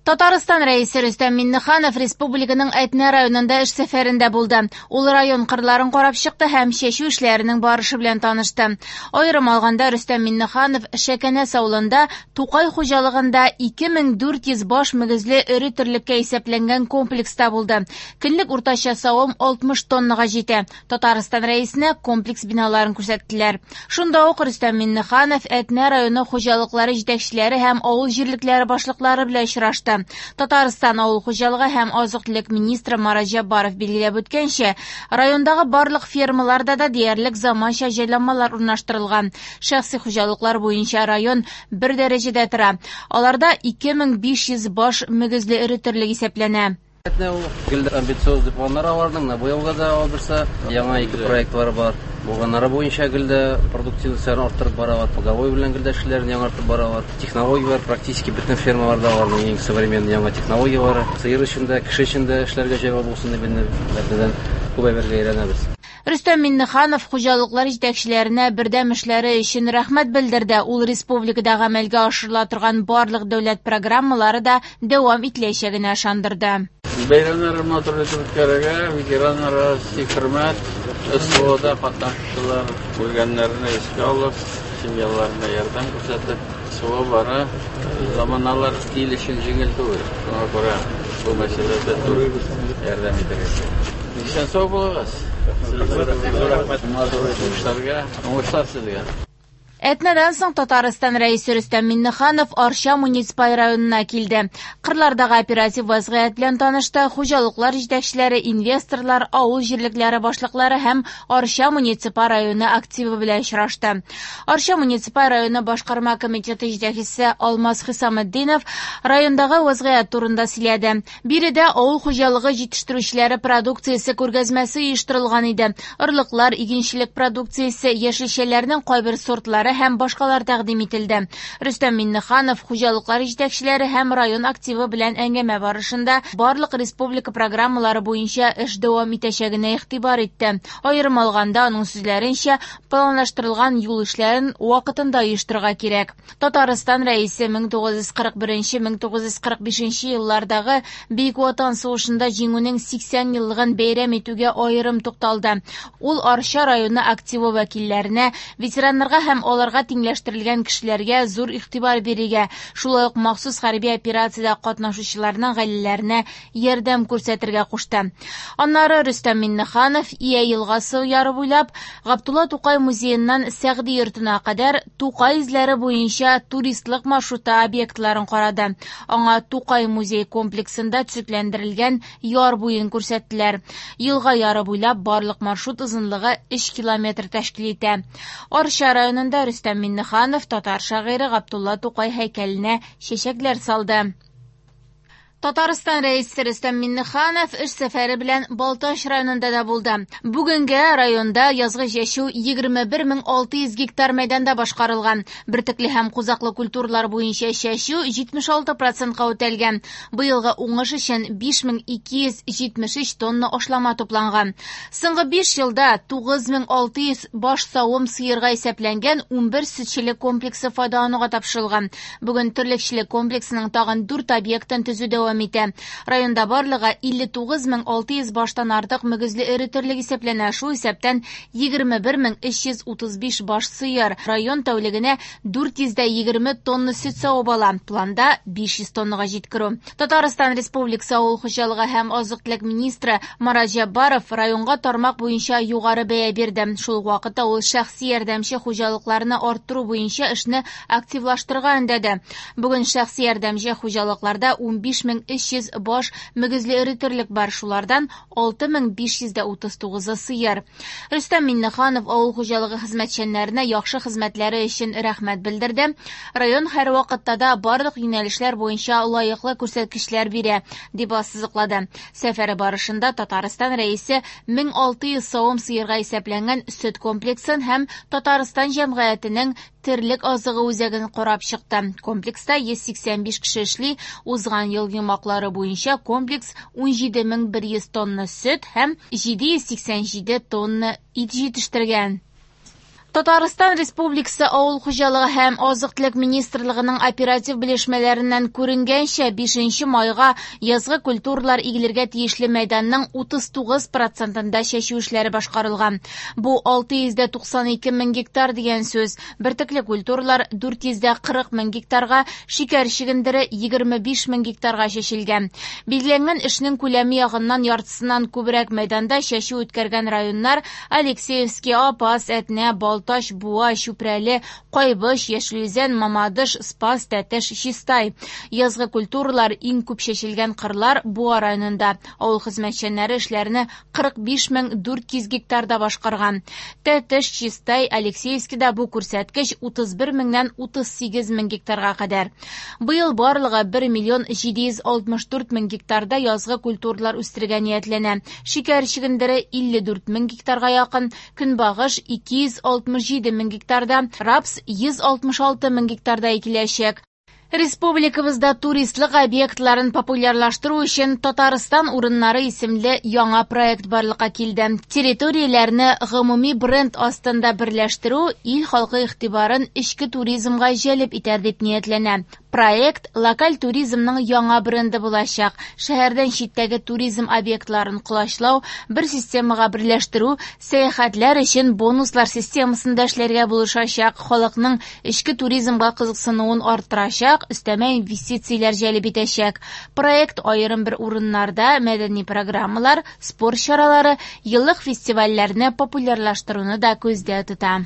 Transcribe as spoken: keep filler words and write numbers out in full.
Татарстан Рәисе Рөстәм Миңнеханов республиканың Әтнә районында эш сәфәрендә булды. Ул район кырларын карап чыкты һәм чәчү эшләренең барышы белән танышты. Аерым алганда, Рөстәм Миңнеханов Шәкәнәс авылында Тукай хуҗалыгында ике мең дүрт йөз баш мөгезле эре терлеккә исәпләнгән комплекста булды. Көнлек уртача савым алтмыш тоннага җитә. Татарстан Рәисенә комплекс биналарын күрсәттеләр. Шунда ук Рөстәм Миңнеханов Әтнә районы хуҗалыклары җитәкчеләре һәм авыл җирлекләре башлыклары белән очрашты. Татарстан авыл хуҗалыгы һәм азык-төлек министры Марат Җәббаров билгеләп үткәнчә, райондагы барлык фермаларда да диярлек заманча җайланмалар урнаштырылган. Шәхси хуҗалыклар буенча район бер дәрәҗәдә тора. Аларда ике мең биш йөз баш мөгезле эре терлек исәпләнә. Әтнә ул гел амбициозный планнар аларның, менә бу елга да алырса, яңа ике проектлары бар. Булганнары буенча гел дә продуктивностьларын арттырып баралар, поголовье белән гел дә эшләрен яңартып баралар. Технологияләр практически бөтен фермаларда аларның иң современный яңа технологияләре. Сыер өчен дә, кеше өчен дә эшләргә җайлы булсын дип инде Әтнәдән күп әйбергә өйрәнәбез. Рөстәм Миңнеханов хуҗалыклар җитәкчеләренә бердәм эшләре өчен рәхмәт белдерде. Ул республикада гамәлгә ашырыла торган барлык дәүләт программалары да дәвам ителәчәгенә ышандырды. Бәйрәмнәрне матур итеп үткәрергә, ветераннарга хөрмәт, СВОда катнашучылар үлгәннәрне искә алып, семьяларына ярдәм күрсәтеп, СВО бара, заманалар ил өчен җиңел түгел. Шуңа күрә бу мәсьәләдә зур ярдәм итәргә кирәк. Исән сау булыгыз. Зур рәхмәт матур эшләргә, уңышлар сезгә. Әтнәдән соң Татарстан Рәисе Рөстәм Миңнеханов Арча муниципаль районына килде. Кырлардагы оператив вазгыять белән танышты, хуҗалыклар җитәкчеләре, инвесторлар, авыл җирлекләре башлыклары һәм Арча муниципаль районы активы белән очрашты. Арча муниципаль районы башкарма комитеты җитәкчесе Алмаз Хисаметдинов райондагы вазгыять турында сөйләде. Биредә авыл хуҗалыгы җитештерүчеләре продукциясе күргәзмәсе оештырылган иде. Орлыклар, игенчелек продукциясе, яшелчәләрнең кайбер сортлары һәм башкалар тәкъдим ителде. Рөстәм Миңнеханов хуҗалыклар җитәкчеләре һәм район активы белән әңгәмә барышында барлык республика программалары буенча эш дәвам итәчәгенә игътибар итте. Аерым алганда, аның сүзләренчә, планлаштырылган юл эшләрен вакытында оештырырга кирәк. Татарстан Рәисе мең тугыз йөз кырык беренче, мең тугыз йөз кырык бишенче еллардагы Бөек Ватан сугышында җиңүнең сиксән еллыгын бәйрәм итүгә аерым тукталды. Ул Арча районы активы вәкилләренә, ветераннарга һәм аларга тиңләштерелгән кешеләргә зур игътибар бирергә, шулай ук махсус хәрби операциядә катнашучыларның гаиләләренә ярдәм күрсәтергә кушты. Аннары Рөстәм Миңнеханов Ия елгасы яры буйлап Габдулла Тукай музееннан Сәгъди йортына кадәр Тукай эзләре буенча туристлык маршруты объектларын карады. Аңа Тукай музей комплексында төзекләндерелгән яр буен күрсәттеләр. Елга яры буйлап барлык маршрут озынлыгы өч километр тәшкил итә. Арча районында Рөстәм Миңнеханов татар шагыйре Габдулла Тукай һәйкәленә чәчәкләр салды. Татарстан Рәисе Рөстәм Миңнеханов эш сәфәре белән Балтач районында да булды. Бүгенгә районда язгы чәчү егерме бер мең алты йөз гектар мәйданда башкарылган. Бөртекле һәм кузаклы культуралар буенча чәчү җитмеш алты процентка үтәлгән. Быелгы уңыш өчен биш мең ике йөз җитмеш өч тонна ашлама тупланган. Соңгы биш елда тугыз мең алты йөз баш савым сыерга исәпләнгән унбер сөтчелек комплексы файдалануга тапшырылган. Бүген терлекчелек комплексының тагын дүрт объектын төзү дәвам итә. Районда барлыгы илле тугыз мең алты йөз баштан артык мөгезле эре терлек исәпләнә, шул исәптән егерме бер мең өч йөз утыз биш баш сыер. Район тәүлегенә дүрт йөз дә егерме тонна сөт савып ала. Планда биш йөз тоннага җиткерү. Татарстан Республикасы Авыл хуҗалыгы һәм азык-төлек министры Марат Җәббаров районга тармак буенча югары бәя бирде. Шул ук вакытта ул шәхси ярдәмче хуҗалыкларны арттыру буенча эшне активлаштырырга өндәде. Бүген шәхси ярдәмче хуҗалыкларда унбиш мең өч йөз баш мөгезле эре терлек бар, шулардан алты мең биш йөз дә утыз тугызы сыер. Рөстәм Миңнеханов авыл хуҗалыгы хезмәтчәннәренә яхшы хезмәтләре өчен рәхмәт белдерде. Район һәр вакытта да барлык юнәлешләр буенча лаеклы күрсәткечләр бирә, дип ассызыклады. Сәфәре барышында Татарстан Рәисе мең алты йөз савым сыерга исәпләнгән сөт комплексын һәм Татарстан җәмгыятенең терлек азыгы үзәген карап чыкты. Комплекста йөз сиксән биш кеше эшли. Узган ел йомгаклары буенча комплекс унҗиде мең бер йөз тонна сөт һәм җиде йөз сиксән җиде тонна ит җитештергән. Татарстан Республикасы Авыл хуҗалыгы һәм азык-төлек министрлыгының оператив белешмәләреннән күренгәнчә, бишенче майга язгы культуралар игелергә тиешле мәйданның утыз тугыз процентында чәчү эшләре башкарылган. Бу алты йөз дә туксан ике мең гектар дигән сүз. Бөртекле культуралар дүрт йөз дә кырык мең гектарга, шикәр чөгендере егерме биш мең гектарга чәчелгән. Билгеләнгән эшнең күләме ягыннан яртысыннан күбрәк мәйданда чәчү үткәргән районнар Алексеевский, Апас, Әтнә, Балтач, Буа, Чүпрәле, Кайбыч, Яшел Үзән, Мамадыш, Спас, Тәтеш, Чистай. Язгы культуралар иң күп чәчелгән кырлар Буа районында. Авыл хезмәтчәннәре эшләрне кырык биш мең дүрт йөз гектарда башкарган. Тәтеш, Чистай, Алексеевскийда бу күрсәткеч утыз бер меңнән утыз сигез мең гектарга кадәр. Быел барлыгы бер миллион җиде йөз алтмыш дүрт мең гектарда язгы культуралар үстерергә ниятләнә. Шикәр чөгендере илле дүрт мең гектарга якын, көнбагыш ике йөз алтмыш җиде мең гектарда, рапс йөз алтмыш алты мең гектарда икеләчәк. Республикабызда туристлык объектларын популярлаштыру өчен Татарстан урыннары исемле яңа проект барлыкка килде. Территорияләрне гомуми бренд астында берләштерү ил халкы игътибарын эчке туризмга җәлеп итәр дип ниятләнә. Проект локаль туризмның яңа бренды булачак. Шәһәрдән читтәге туризм объектларын колачлау, бер системага берләштерү, сәяхәтләр өчен бонуслар системасында эшләргә булышачак, халыкның эчке туризмга кызыксынуын арттырачак, өстәмә инвестицияләр җәлеп итәчәк. Проект аерым бер урыннарда мәдәни программалар, спорт чаралары, еллык фестивальләрне популярлаштыруны да күздә тота.